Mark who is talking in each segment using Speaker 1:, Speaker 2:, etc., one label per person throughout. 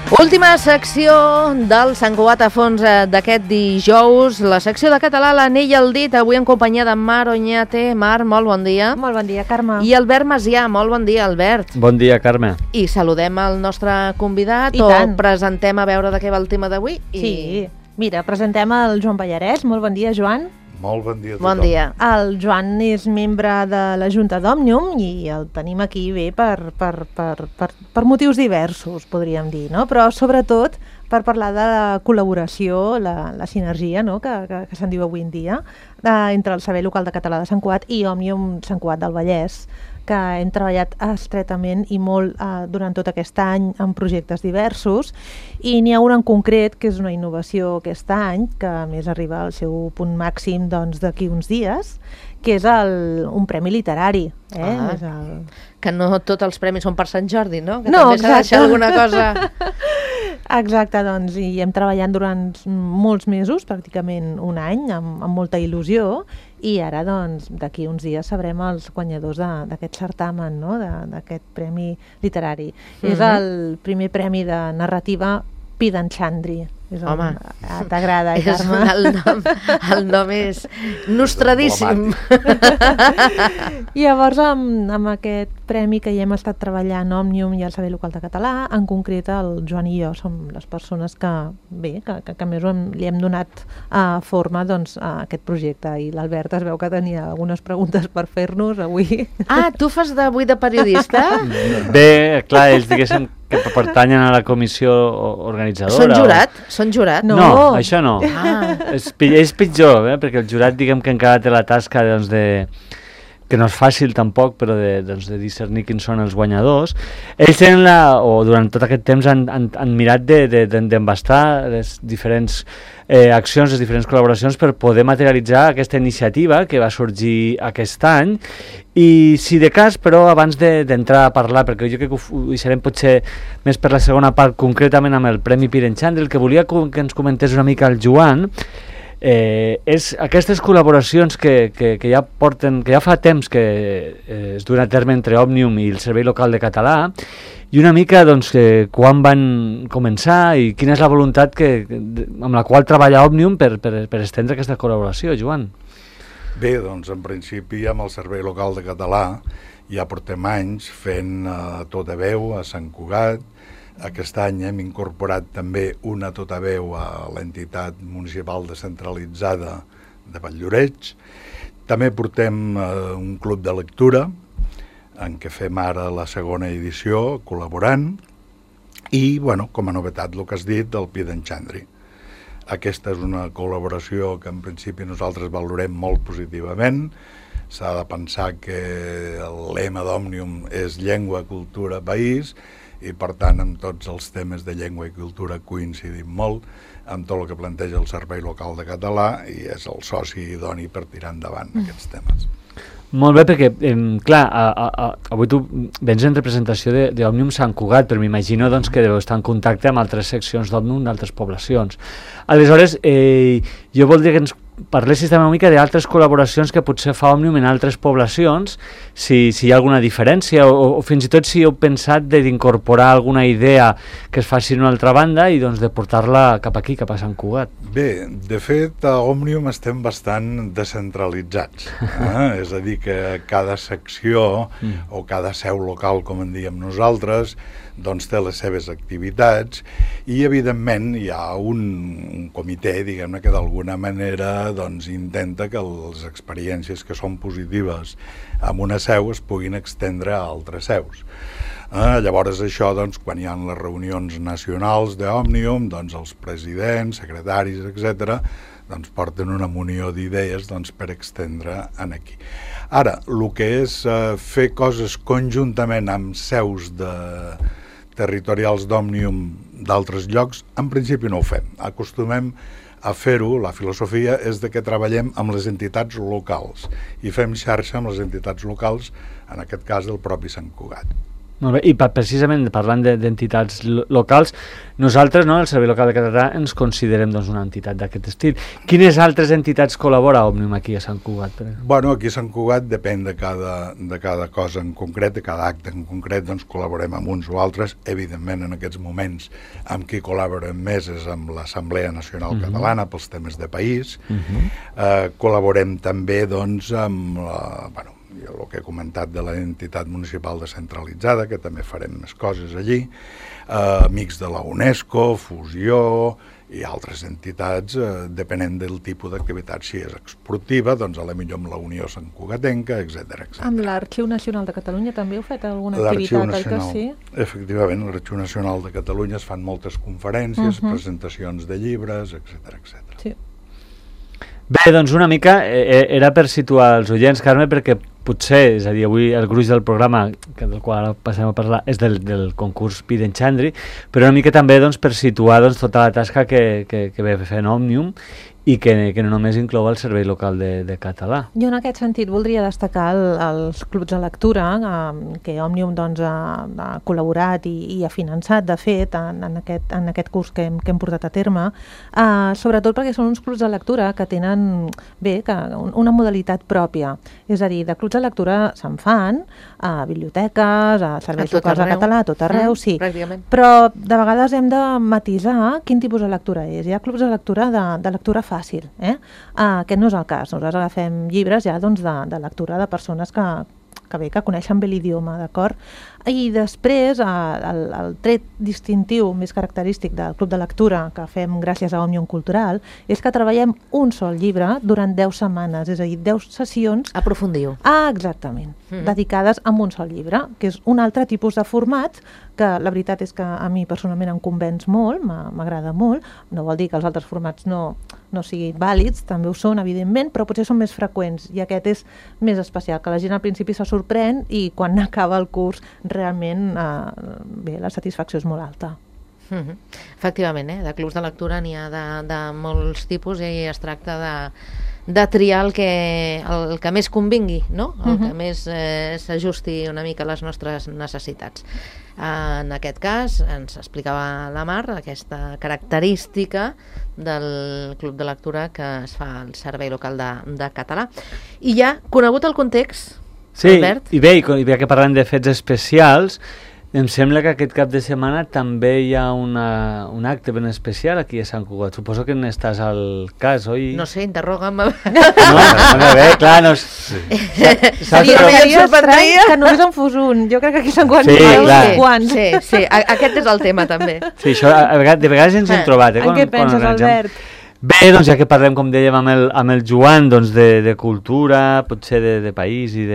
Speaker 1: Última secció del Sant Cugat a fons d'aquest dijous, la secció de català l'anell al dit, avui en companyia de Mar Oñate. Mar, molt bon dia.
Speaker 2: Molt bon dia, Carme.
Speaker 1: I Albert Macià, molt bon dia, Albert.
Speaker 3: Bon dia, Carme.
Speaker 1: I saludem el nostre convidat,
Speaker 2: I
Speaker 1: o
Speaker 2: tant.
Speaker 1: presentem a veure de què va el tema d'avui?
Speaker 2: Sí, mira, presentem el Joan Pallarès. Molt bon dia, Joan.
Speaker 4: Molt bon dia a tothom.
Speaker 1: Bon dia.
Speaker 2: El Joan és membre de la Junta d'Òmnium i el tenim aquí bé per motius diversos, podríem dir, no? Però sobretot per parlar de la col·laboració, la sinergia, no? que se'n diu avui en dia, entre el Servei Local de Català de Sant Cugat i Òmnium Sant Cugat del Vallès, que hem treballat estretament i molt durant tot aquest any en projectes diversos, i n'hi ha un en concret que és una innovació aquest any, que a més arriba al seu punt màxim d'aquí uns dies, que és un premi literari. És
Speaker 1: Que no tots els premis són per Sant Jordi, no? Que
Speaker 2: No,
Speaker 1: també s'ha de deixar alguna cosa.
Speaker 2: Exacte, doncs, i hem treballat durant molts mesos, pràcticament un any, amb molta il·lusió, i ara, doncs, d'aquí uns dies sabrem els guanyadors d'aquest certamen, no? D'aquest premi literari. És el primer premi de narrativa Pidanchandri.
Speaker 1: Home,
Speaker 2: t'agrada, Carme?
Speaker 1: El nom és nostradíssim.
Speaker 2: Llavors, amb aquest premi que hi hem estat treballant Òmnium i el Servei Local de Català, en concret el Joan i jo som les persones que més li hem donat forma a aquest projecte, i l'Albert es veu que tenia algunes preguntes per fer-nos avui.
Speaker 1: Ah, tu fas avui de periodista?
Speaker 3: Bé, clar, ells diguéssim que pertanyen a la comissió organitzadora.
Speaker 1: Són jurat? Són jurat?
Speaker 3: No, això no. És pitjor, perquè el jurat, diguem que encara té la tasca que no és fàcil tampoc, però de discernir quins són els guanyadors. Ells tenen durant tot aquest temps han mirat d'embastar les diferents accions, les diferents col·laboracions per poder materialitzar aquesta iniciativa que va sorgir aquest any. I si de cas, però, abans d'entrar a parlar, perquè jo crec que ho deixarem potser més per la segona part, concretament amb el Premi Pidanchandri, el que volia que ens comentés una mica el Joan, és aquestes col·laboracions que ja fa temps que es duen a terme entre Òmnium i el Servei Local de Català, i una mica quan van començar i quina és la voluntat amb la qual treballa Òmnium per estendre aquesta col·laboració, Joan.
Speaker 4: Bé, doncs en principi amb el Servei Local de Català ja portem anys fent tota veu a Sant Cugat. Aquest any hem incorporat també una tota veu a l'entitat municipal descentralitzada de Valldoreix. També portem un club de lectura, en què fem ara la segona edició, col·laborant, i, com a novetat, el que has dit, el Pidanchandri. Aquesta és una col·laboració que en principi nosaltres valorem molt positivament. S'ha de pensar que el lema d'Òmnium és llengua, cultura, país, i per tant amb tots els temes de llengua i cultura coincidim molt amb tot el que planteja el Servei Local de Català, i és el soci idoni per tirar endavant aquests temes.
Speaker 3: Molt bé, perquè, clar, avui tu vens en representació d'Òmnium Sant Cugat, però m'imagino que deu estar en contacte amb altres seccions d'Òmnium d'altres poblacions. Aleshores, jo voldria que ens parlessis també una mica d'altres col·laboracions que potser fa Òmnium en altres poblacions, si hi ha alguna diferència, o fins i tot si heu pensat d'incorporar alguna idea que es faci en una altra banda i de portar-la cap aquí, cap a Sant Cugat.
Speaker 4: Bé, de fet, a Òmnium estem bastant descentralitzats. És a dir, que cada secció o cada seu local, com en diem nosaltres, té les seves activitats, i evidentment hi ha un comitè, diguem-ne, que d'alguna manera intenta que les experiències que són positives en una seu es puguin estendre a altres seus. Llavors això, quan hi ha les reunions nacionals d'Òmnium, els presidents, secretaris, etc., porten una munió d'idees per estendre aquí. Ara, el que és fer coses conjuntament amb seus territorials d'Òmnium d'altres llocs, en principi no ho fem. Acostumem a fer-ho, la filosofia és que treballem amb les entitats locals i fem xarxa amb les entitats locals, en aquest cas del propi Sant Cugat.
Speaker 3: Molt bé, i precisament parlant d'entitats locals, nosaltres, no, el Servei Local de Català, ens considerem doncs, una entitat d'aquest estil. Quines altres entitats col·labora Òmnium aquí a Sant Cugat?
Speaker 4: Bueno, aquí a Sant Cugat depèn de cada cosa en concret, de cada acte en concret, doncs col·laborem amb uns o altres. Evidentment, en aquests moments, amb qui col·laborem més és amb l'Assemblea Nacional Catalana pels temes de país. Col·laborem també, doncs, amb el que he comentat de l'entitat municipal descentralitzada, que també farem més coses allí, amics de la UNESCO, Fusió i altres entitats, depenent del tipus d'activitat. Si és esportiva, doncs potser amb la Unió Sant Cugatenca, etc.
Speaker 2: Amb l'Arxiu Nacional de Catalunya també heu fet alguna activitat, oi que sí?
Speaker 4: Efectivament, a l'Arxiu Nacional de Catalunya es fan moltes conferències, presentacions de llibres, etc.
Speaker 2: Sí.
Speaker 3: Bé, doncs una mica era per situar els oients, Carme, perquè potser, és a dir, avui el gruix del programa, del qual ara passem a parlar, és del concurs Pide Enxandri, però una mica també doncs, per situar doncs, tota la tasca que ve fent Òmnium i que no només inclou el Servei Local de Català.
Speaker 2: Jo en aquest sentit voldria destacar els clubs de lectura que Òmnium doncs, ha col·laborat i ha finançat, de fet, en aquest curs que hem portat a terme, sobretot perquè són uns clubs de lectura que tenen una modalitat pròpia. És a dir, de clubs de lectura se'n fan a biblioteques, a serveis locals de català, a tot arreu, sí. Però de vegades hem de matisar quin tipus de lectura és. Hi ha clubs de lectura de lectura fàcil. Aquest no és el cas. Nosaltres agafem llibres ja doncs, de lectura de persones que coneixen bé l'idioma, d'acord? I després, el tret distintiu més característic del club de lectura que fem gràcies a Òmnium Cultural és que treballem un sol llibre durant 10 setmanes, és a dir, 10 sessions...
Speaker 1: Aprofundiu.
Speaker 2: Exactament, dedicades a un sol llibre, que és un altre tipus de format que la veritat és que a mi personalment em convenç molt, m'agrada molt, no vol dir que els altres formats no siguin vàlids, també ho són, evidentment, però potser són més freqüents i aquest és més especial, que la gent al principi se sorprèn i quan acaba el curs realment la satisfacció és molt alta.
Speaker 1: Efectivament, de clubs de lectura n'hi ha de molts tipus i es tracta de triar el que més convingui, no? El que més s'ajusti una mica a les nostres necessitats. En aquest cas, ens explicava la Mar aquesta característica del club de lectura que es fa al Servei Local de Català. I ja, conegut el context, Albert?
Speaker 3: Sí, i bé que parlem de fets especials, em sembla que aquest cap de setmana també hi ha un acte ben especial aquí a Sant Cugat. Suposo que n'estàs al cas, oi?
Speaker 1: No sé, interroga'm.
Speaker 3: No, bé, clar, no...
Speaker 2: Seria estrany que només en fos un. Jo crec que aquí a Sant Cugat
Speaker 1: Sí, aquest és el tema també.
Speaker 3: Sí, això de vegades ens hem trobat.
Speaker 2: En què penses, Albert?
Speaker 3: Bé, doncs ja que parlem, com dèiem, amb el Joan, doncs de cultura, potser de país i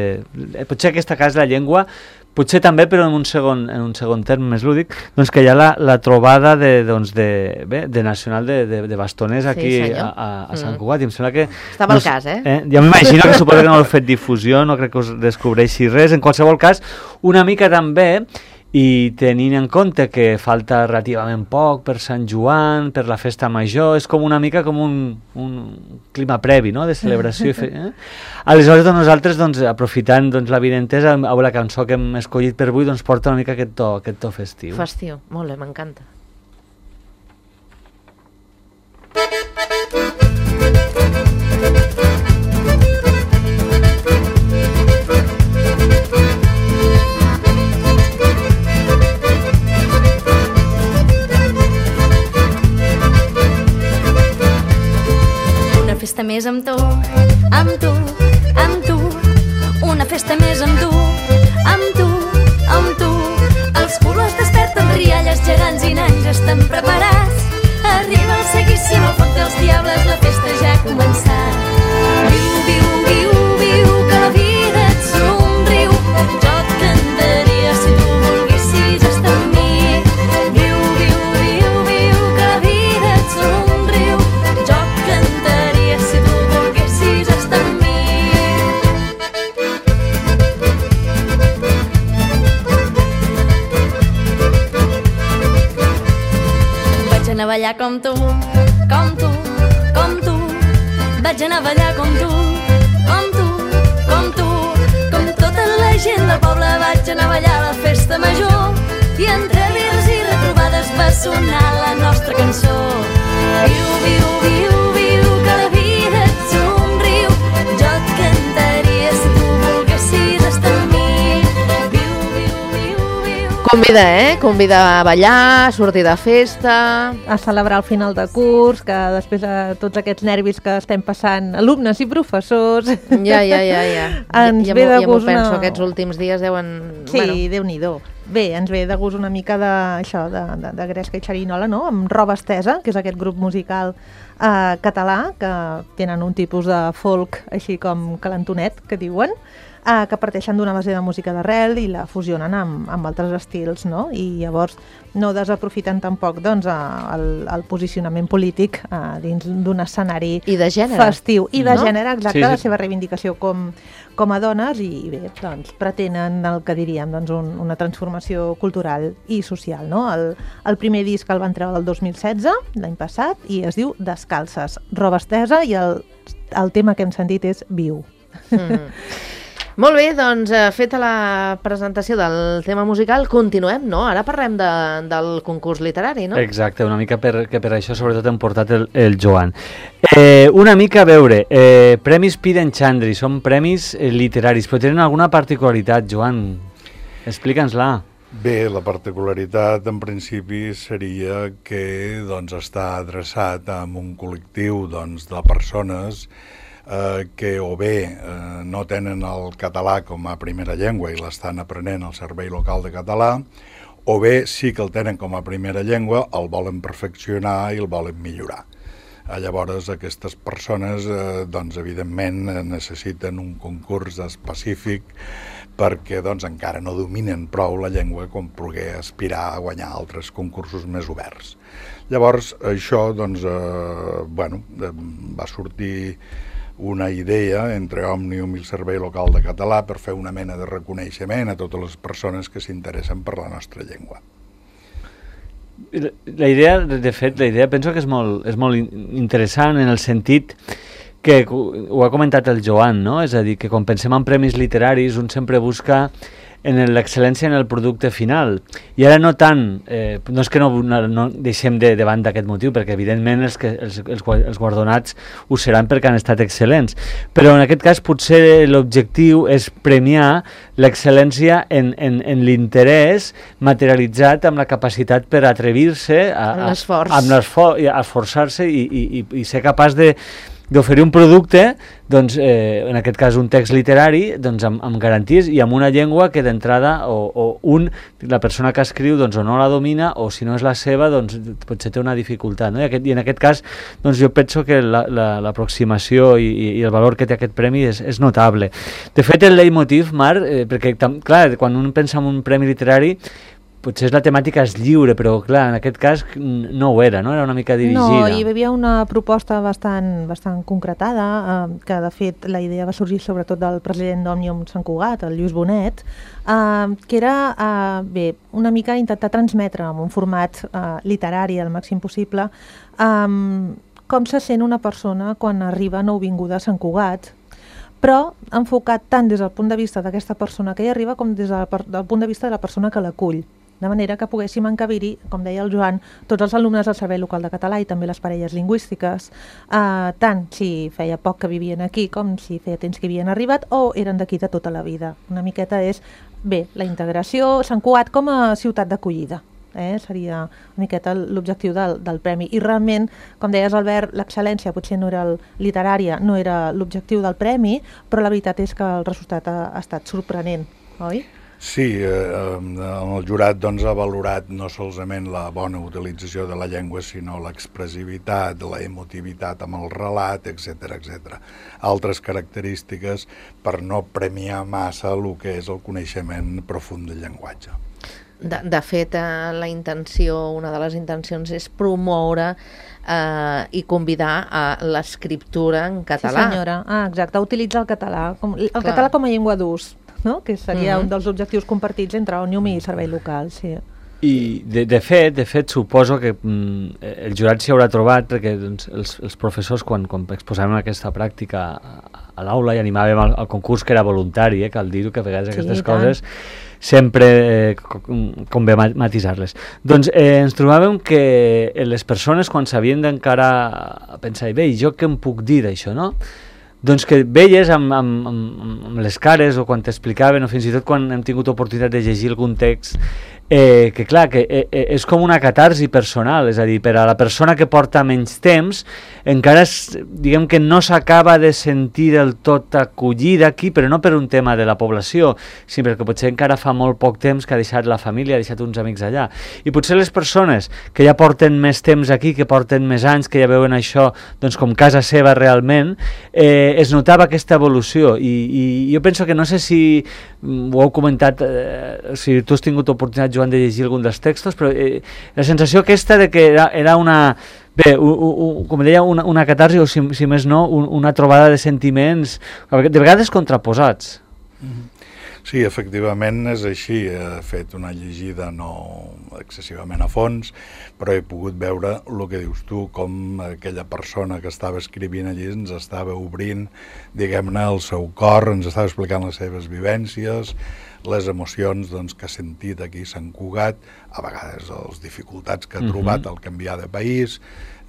Speaker 3: potser aquesta casa de la llengua, potser també, però en un segon terme més lúdic, doncs que hi ha la trobada de nacional de bastoners aquí a Sant Cugat. I em sembla que...
Speaker 1: Estava al cas,
Speaker 3: Ja m'imagino que suposo que no heu fet difusió, no crec que us descobreixi res. En qualsevol cas, una mica també, i tenint en compte que falta relativament poc per Sant Joan, per la festa major, és com una mica com un clima previ, no?, de celebració. Aleshores, nosaltres, aprofitant l'avinentesa, la cançó que hem escollit per avui, porta una mica aquest to festiu.
Speaker 1: Festiu, molt bé, m'encanta.
Speaker 5: Festa més amb tu, amb tu, amb tu. Una festa més amb tu, amb tu, amb tu. Els colors desperten rialles gegants i nans estan preparats. Arriba el seguíssim al foc dels diables, la festa ja ha començat. Viu, viu, viu, viu, que la vida et somriu. Jo et cantaria si tu volguessis estar amb mi. Viu, viu, viu, viu, que la vida et somriu. Jo et cantaria si tu volguessis estar amb mi. Vaig anar a ballar com tu, com tu, com tu. Vaig anar a ballar com tu, com tu, com tu. Com tota la la gent del poble vaig anar a ballar a la festa major i entre birres i retrobades va sonar la nostra cançó. Viu, viu, viu, viu, que la vida et somriu, jo et cantaria si tu volguessis estar amb mi. Viu, viu, viu, viu.
Speaker 1: Convida, Convida a ballar, a sortir de festa...
Speaker 2: A celebrar el final de curs, que després de tots aquests nervis que estem passant, alumnes i professors...
Speaker 1: Ja.
Speaker 2: Ens
Speaker 1: ja
Speaker 2: ve de
Speaker 1: m'ho
Speaker 2: gust
Speaker 1: penso, aquests últims dies deuen...
Speaker 2: Sí, Déu-n'hi-do. Bé, ens ve de gust una mica de Gresca i Xerinola, no? Amb Roba Estesa, que és aquest grup musical català, que tenen un tipus de folk així com calentonet, que diuen, que parteixen d'una base de música d'arrel i la fusionen amb altres estils, no? I llavors no desaprofiten tampoc doncs, el posicionament polític dins d'un escenari
Speaker 1: I de gènere.
Speaker 2: festiu. I de gènere, exacte,
Speaker 3: Sí.
Speaker 2: la seva reivindicació com a dones i bé, doncs, pretenen el que diríem doncs, una transformació cultural i social, no? El primer disc el van treure el 2016, l'any passat, i es diu Descalces, Roba Estesa, i el tema que hem sentit és Viu.
Speaker 1: Molt bé, doncs feta la presentació del tema musical, continuem, no? Ara parlem del concurs literari, no?
Speaker 3: Exacte, una mica per això sobretot hem portat el Joan. Una mica a veure, Premis Piden Chandri, són premis literaris, però tenen alguna particularitat, Joan? Explica'ns-la.
Speaker 4: Bé, la particularitat en principi seria que doncs, està adreçat a un col·lectiu doncs, de persones que o bé no tenen el català com a primera llengua i l'estan aprenent al Servei Local de Català, o bé sí que el tenen com a primera llengua, el volen perfeccionar i el volen millorar. Llavors aquestes persones doncs, evidentment necessiten un concurs específic perquè doncs, encara no dominen prou la llengua com poder aspirar a guanyar altres concursos més oberts. Llavors això doncs, va sortir una idea entre Òmnium i el Servei Local de Català per fer una mena de reconeixement a totes les persones que s'interessen per la nostra llengua.
Speaker 3: La idea, de fet, penso que és molt interessant en el sentit que ho ha comentat el Joan, no? És a dir, que quan pensem en premis literaris un sempre busca en l'excel·lència en el producte final. I ara no tant, no és que no deixem de banda aquest motiu, perquè evidentment els guardonats ho seran perquè han estat excel·lents, però en aquest cas potser l'objectiu és premiar l'excel·lència en l'interès materialitzat amb la capacitat per atrevir-se a esforçar-se i ser capaç d'oferir un producte, doncs, en aquest cas un text literari, doncs, amb garanties i amb una llengua que d'entrada la persona que escriu doncs, o no la domina o si no és la seva doncs, potser té una dificultat. No? I en aquest cas doncs, jo penso que l'aproximació i el valor que té aquest premi és notable. De fet, el leitmotiv, Marc, perquè clar, quan un pensa en un premi literari potser la temàtica és lliure, però clar, en aquest cas no ho era, no? Era una mica dirigida.
Speaker 2: No, hi havia una proposta bastant concretada, que de fet la idea va sorgir sobretot del president d'Òmnium Sant Cugat, el Lluís Bonet, que era una mica intentar transmetre en un format literari al màxim possible com se sent una persona quan arriba nouvinguda a Sant Cugat, però enfocat tant des del punt de vista d'aquesta persona que hi arriba com des del punt de vista de la persona que l'acull. De manera que poguéssim encabir-hi, com deia el Joan, tots els alumnes del Servei Local de Català i també les parelles lingüístiques, tant si feia poc que vivien aquí com si feia temps que havien arribat o eren d'aquí de tota la vida. Una miqueta és, bé, la integració, Sant Cugat com a ciutat d'acollida. Seria una miqueta l'objectiu del premi. I realment, com deies, Albert, l'excel·lència potser no era literària, no era l'objectiu del premi, però la veritat és que el resultat ha estat sorprenent, oi?
Speaker 4: Sí, el jurat doncs, ha valorat no solament la bona utilització de la llengua, sinó l'expressivitat, la emotivitat amb el relat, etc. Altres característiques per no premiar massa el que és el coneixement profund del llenguatge.
Speaker 1: De fet, la intenció, una de les intencions és promoure i convidar a l'escriptura en català.
Speaker 2: Sí, senyora. Exacte, utilitzar el català com a llengua d'ús, no? Que seria un dels objectius compartits entre Òmnium i Servei Local, sí.
Speaker 3: I de fet suposo que el jurat s'hi haurà trobat perquè doncs, els professors quan exposàvem aquesta pràctica a l'aula i animàvem al concurs, que era voluntari, cal dir-ho, que a vegades aquestes coses sempre convé matisar-les. Doncs ens trobàvem que les persones quan s'havien d'encarar pensaven, bé, jo què em puc dir d'això, no? Doncs que veies amb les cares o quan t'explicaven o fins i tot quan hem tingut oportunitat de llegir algun text que clar, que és com una catarsi personal, és a dir, per a la persona que porta menys temps encara diguem que no s'acaba de sentir del tot acollida aquí, però no per un tema de la població, sinó perquè potser encara fa molt poc temps que ha deixat la família, ha deixat uns amics allà, i potser les persones que ja porten més temps aquí, que porten més anys, que ja veuen això doncs com casa seva realment, es notava aquesta evolució, i jo penso que no sé si ho heu comentat, si tu has tingut oportunitat, Joan, de llegir algun dels textos, però la sensació aquesta de que era una... Bé, com deia, una catarsi o, si més no, una trobada de sentiments de vegades contraposats.
Speaker 4: Sí, efectivament és així. He fet una llegida no excessivament a fons, però he pogut veure el que dius tu, com aquella persona que estava escrivint allí ens estava obrint, diguem-ne, el seu cor, ens estava explicant les seves vivències, les emocions doncs, que ha sentit aquí a Sant Cugat, a vegades les dificultats que ha trobat al canviar de país,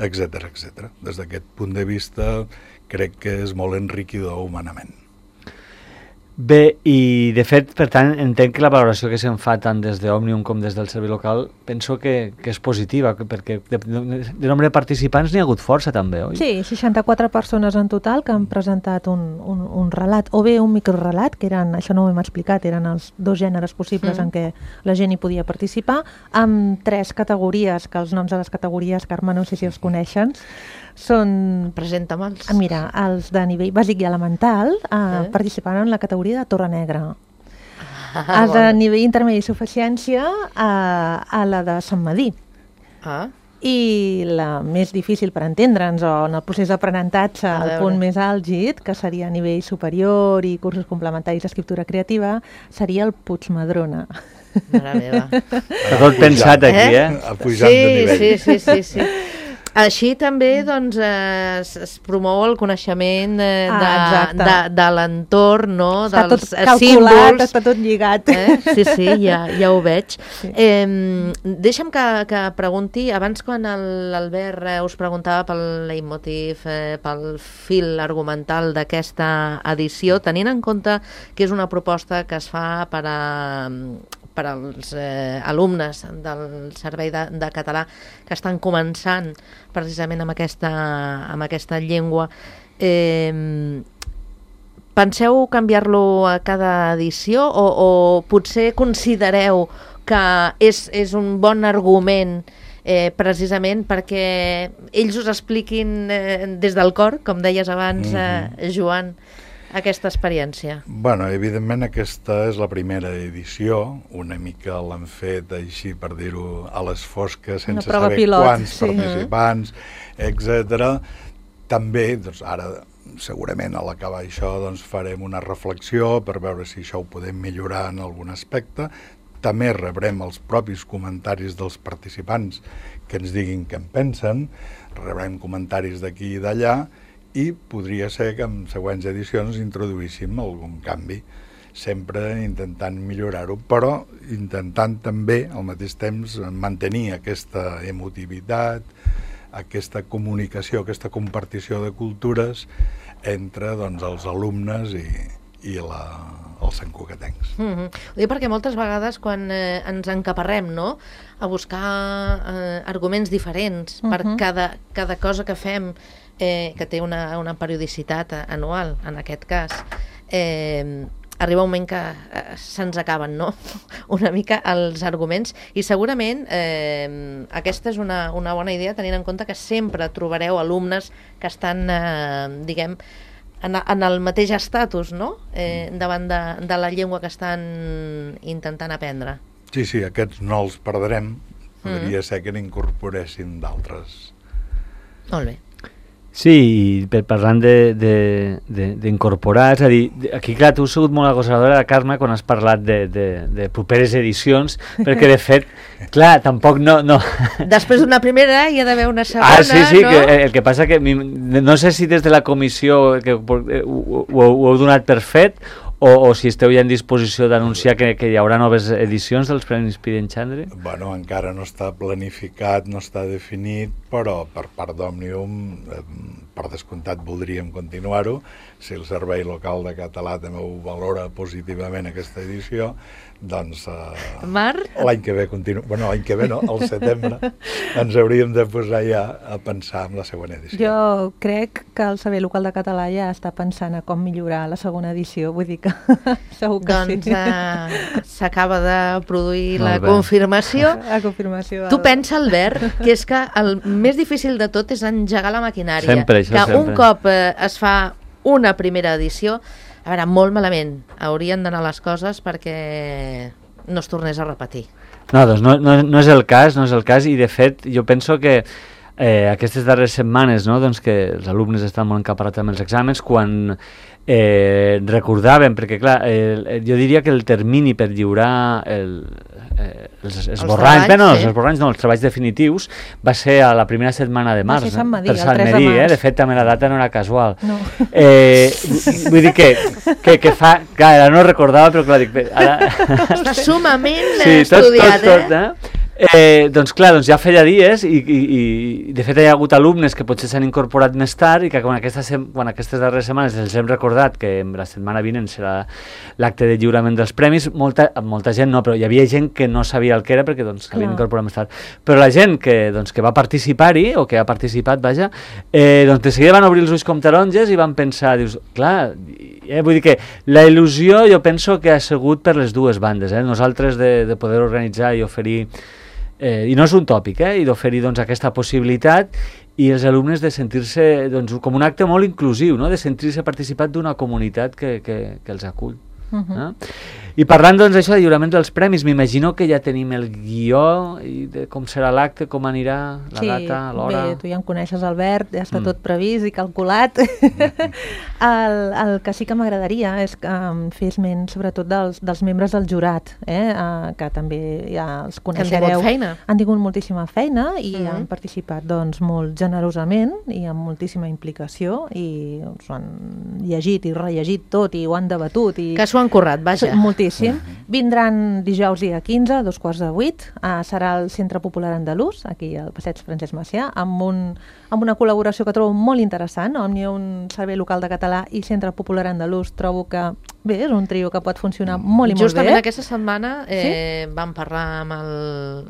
Speaker 4: etc etc. Des d'aquest punt de vista crec que és molt enriquidor humanament.
Speaker 3: Bé, i de fet, per tant, entenc que la valoració que se'n fa tant des d'Òmnium com des del servei local penso que és positiva, perquè de nombre de participants n'hi ha hagut força també, oi?
Speaker 2: Sí, 64 persones en total que han presentat un relat, o bé un microrelat, que eren, això no ho hem explicat, eren els dos gèneres possibles en què la gent hi podia participar, amb 3 categories, que els noms de les categories, Carme, no sé si els coneixen, són...
Speaker 1: Presenta-me'ls.
Speaker 2: Mira, els de nivell bàsic i elemental participaran en la categoria de Torre Negra. Els de nivell intermedi i suficiència a la de Sant Madí. I la més difícil per entendre'ns, o en el procés d'aprenentatge, el punt més àlgid, que seria a nivell superior i cursos complementaris d'escriptura creativa, seria el Puigmadrona.
Speaker 1: Mare meva.
Speaker 3: Està tot pensat aquí,
Speaker 4: Ha pujat de nivell.
Speaker 1: Sí. Així també doncs, es promou el coneixement de l'entorn, no?
Speaker 2: Està
Speaker 1: dels
Speaker 2: tot calculat,
Speaker 1: símbols.
Speaker 2: està tot lligat.
Speaker 1: Sí, ja ho veig. Sí. Deixa'm que pregunti, abans quan l'Albert us preguntava pel leitmotiv, pel fil argumental d'aquesta edició, tenint en compte que és una proposta que es fa per als alumnes del Servei de Català que estan començant precisament amb aquesta llengua, penseu canviar-lo a cada edició o potser considereu que és un bon argument precisament perquè ells us expliquin des del cor, com deies abans, Joan, aquesta experiència?
Speaker 4: Bueno, evidentment aquesta és la primera edició, una mica l'han fet així per dir-ho a les fosques, sense saber quants participants, etc. També, doncs ara segurament a l'acabar això doncs farem una reflexió per veure si això ho podem millorar en algun aspecte. També rebrem els propis comentaris dels participants que ens diguin què en pensen, rebrem comentaris d'aquí i d'allà, i podria ser que en següents edicions introduíssim algun canvi, sempre intentant millorar-ho, però intentant també al mateix temps mantenir aquesta emotivitat, aquesta comunicació, aquesta compartició de cultures entre doncs, els alumnes i els santcugatencs.
Speaker 1: Ho dic perquè moltes vegades quan ens encaparrem, no?, a buscar arguments diferents per cada cosa que fem, que té una periodicitat anual, en aquest cas, arriba un moment que se'ns acaben, no?, una mica els arguments, i segurament aquesta és una bona idea, tenint en compte que sempre trobareu alumnes que estan, diguem, en el mateix estatus, no?, davant de la llengua que estan intentant aprendre.
Speaker 4: Sí, aquests no els perdrem, podria ser que n'incorporessin d'altres.
Speaker 1: Molt bé.
Speaker 3: Sí, i parlant d'incorporar, és a dir, aquí clar, tu has sigut molt agosadora, Carme, quan has parlat de properes edicions, perquè de fet, clar, tampoc no...
Speaker 1: Després d'una primera hi ha d'haver una segona,
Speaker 3: sí,
Speaker 1: no?
Speaker 3: el que passa que no sé si des de la comissió que ho heu donat per fet o si esteu ja en disposició d'anunciar que hi haurà noves edicions dels Premis Pident Xandri.
Speaker 4: Bueno, encara no està planificat, no està definit, però per part d'Òmnium, per descomptat, voldríem continuar-ho. Si el Servei Local de Català també ho valora positivament aquesta edició, doncs
Speaker 1: Marc?
Speaker 4: l'any que ve l'any que ve no, al setembre, ens hauríem de posar ja a pensar en la següent edició.
Speaker 2: Jo crec que el Servei Local de Català ja està pensant a com millorar la segona edició, vull dir que segur que
Speaker 1: doncs,
Speaker 2: sí.
Speaker 1: S'acaba de produir la
Speaker 3: Molt bé.
Speaker 2: confirmació. Tu
Speaker 1: pensa, Albert, que és que el més difícil de tot és engegar la maquinària.
Speaker 3: Sempre, això
Speaker 1: que
Speaker 3: sempre.
Speaker 1: un cop es fa una primera edició, a veure, molt malament, haurien d'anar les coses perquè no es tornés a repetir.
Speaker 3: No, doncs no és el cas, i de fet jo penso que aquestes darreres setmanes, no, doncs que els alumnes estan molt encaparats amb els exàmens, quan recordàvem, perquè clar, jo diria que el termini per lliurar els esborranys, els treballs definitius, va ser a la primera setmana de març,
Speaker 2: Va ser Sant Madí,
Speaker 3: per Sant
Speaker 2: el 3 de
Speaker 3: Madí,
Speaker 2: març.
Speaker 3: de fet també la data no era casual.
Speaker 2: No.
Speaker 3: Vull dir que fa, clar, ara no recordava, però clar, dic, ara...
Speaker 1: Està sumament
Speaker 3: Sí,
Speaker 1: estudiat,
Speaker 3: tot. Doncs clar, ja feia dies i de fet hi ha hagut alumnes que potser s'han incorporat més tard i que quan aquestes darreres setmanes els hem recordat que la setmana vinent serà l'acte de lliurament dels premis, molta gent no, però hi havia gent que no sabia el que era perquè s'havien incorporat més tard. Però la gent que va participar-hi, o que ha participat, vaja, de seguida van obrir els ulls com taronges i van pensar, dius, clar, vull dir que la il·lusió jo penso que ha sigut per les dues bandes, nosaltres de poder organitzar i oferir i no és un tòpic, i d'oferir aquesta possibilitat, i els alumnes de sentir-se com un acte molt inclusiu, no? De sentir-se participat d'una comunitat que els acull. I parlant d'això de lliurament dels premis, m'imagino que ja tenim el guió i de com serà l'acte, com anirà, la data, l'hora...
Speaker 2: Sí, bé, tu ja em coneixes, Albert, ja està tot previst i calculat. El que sí que m'agradaria és que fes esment sobretot dels membres del jurat, que també ja els coneixereu.
Speaker 1: Han tingut feina.
Speaker 2: Han tingut moltíssima feina i han participat molt generosament i amb moltíssima implicació i s'ho han llegit i rellegit tot i ho han debatut.
Speaker 1: Que s'ho han currat, vaja.
Speaker 2: Moltíssim. Vindran dijous dia 15, a 7:15, serà al Centre Popular Andalús, aquí al Passeig Francesc Macià, amb una col·laboració que trobo molt interessant, Òmnium, Servei Local de Català i Centre Popular Andalús. Trobo que, bé, és un trio que pot funcionar molt i molt bé.
Speaker 1: Justament aquesta setmana vam parlar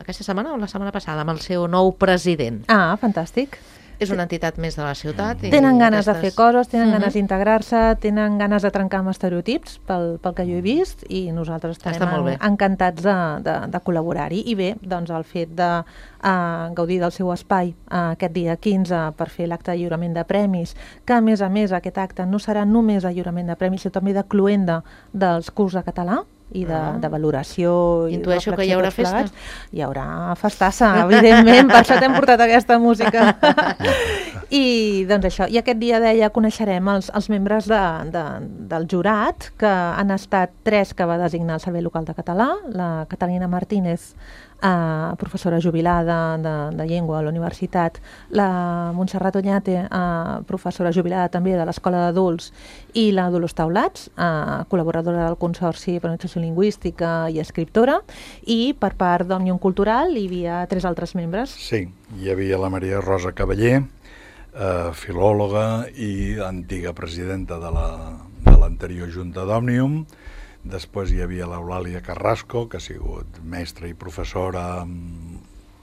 Speaker 1: aquesta setmana o la setmana passada amb el seu nou president.
Speaker 2: Ah, fantàstic.
Speaker 1: És una entitat més de la ciutat.
Speaker 2: Tenen ganes de fer coses, tenen ganes d'integrar-se, tenen ganes de trencar amb estereotips, pel que jo he vist, i nosaltres estarem encantats de col·laborar-hi. I bé, doncs el fet de gaudir del seu espai aquest dia 15 per fer l'acte de lliurament de premis, que a més aquest acte no serà només de lliurament de premis, sinó també de cloenda dels curs de català i de valoració i
Speaker 1: intueixo que hi haurà festa.
Speaker 2: Hi haurà festassa, evidentment, per això t'hem portat aquesta música. I doncs això, i aquest dia deia coneixerem els membres del jurat, que han estat 3 que va designar el Servei Local de Català, la Catalina Martínez, professora jubilada de llengua a la universitat, la Montserrat Oñate, professora jubilada també de l'Escola d'Adults, i la Dolors Taulats, col·laboradora del Consorci per Administració Lingüística i escriptora, i per part d'Òmnium Cultural hi havia 3 altres membres.
Speaker 4: Sí, hi havia la Maria Rosa Cavaller, filòloga i antiga presidenta de l'anterior Junta d'Òmnium. Després hi havia l'Eulàlia Carrasco, que ha sigut mestra i professora en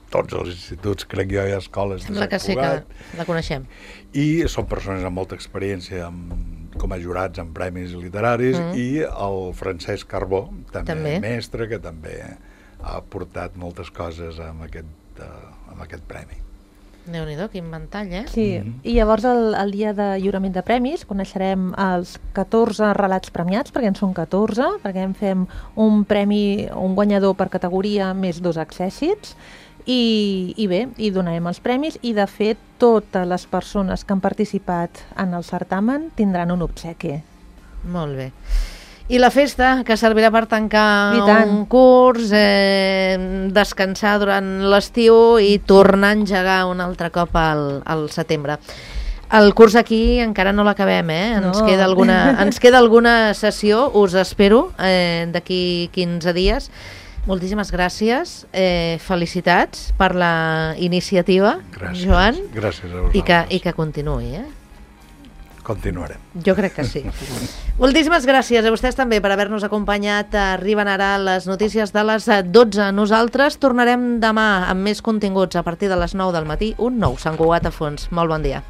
Speaker 4: tots els instituts, crec jo, i escoles de Sant Cugat.
Speaker 1: Sí, que la coneixem.
Speaker 4: I són persones amb molta experiència com a jurats en premis literaris, i el Francesc Carbó, també mestre, que també ha aportat moltes coses amb aquest premi.
Speaker 1: Déu-n'hi-do, quin ventall,
Speaker 2: Sí, i llavors el dia de lliurament de premis coneixerem els 14 relats premiats, perquè en són 14, perquè en fem un premi, un guanyador per categoria més 2 accèssits, I bé, hi donarem els premis i de fet totes les persones que han participat en el certamen tindran un obsequi.
Speaker 1: Molt bé. I la festa, que servirà per tancar
Speaker 2: I tant.
Speaker 1: un curs, descansar durant l'estiu i tornar a engegar un altre cop al setembre. El curs aquí encara no l'acabem,
Speaker 2: No.
Speaker 1: Ens queda alguna sessió, us espero d'aquí 15 dies. Moltíssimes gràcies, felicitats per la iniciativa,
Speaker 4: Gràcies.
Speaker 1: Joan,
Speaker 4: Gràcies a vosaltres.
Speaker 1: i que continuï,
Speaker 4: Continuarem.
Speaker 1: Jo crec que sí. Moltíssimes gràcies a vostès també per haver-nos acompanyat. Arriben ara les notícies de les 12. Nosaltres tornarem demà amb més continguts a partir de les 9 del matí. Un nou Sant Cugat a fons. Molt bon dia.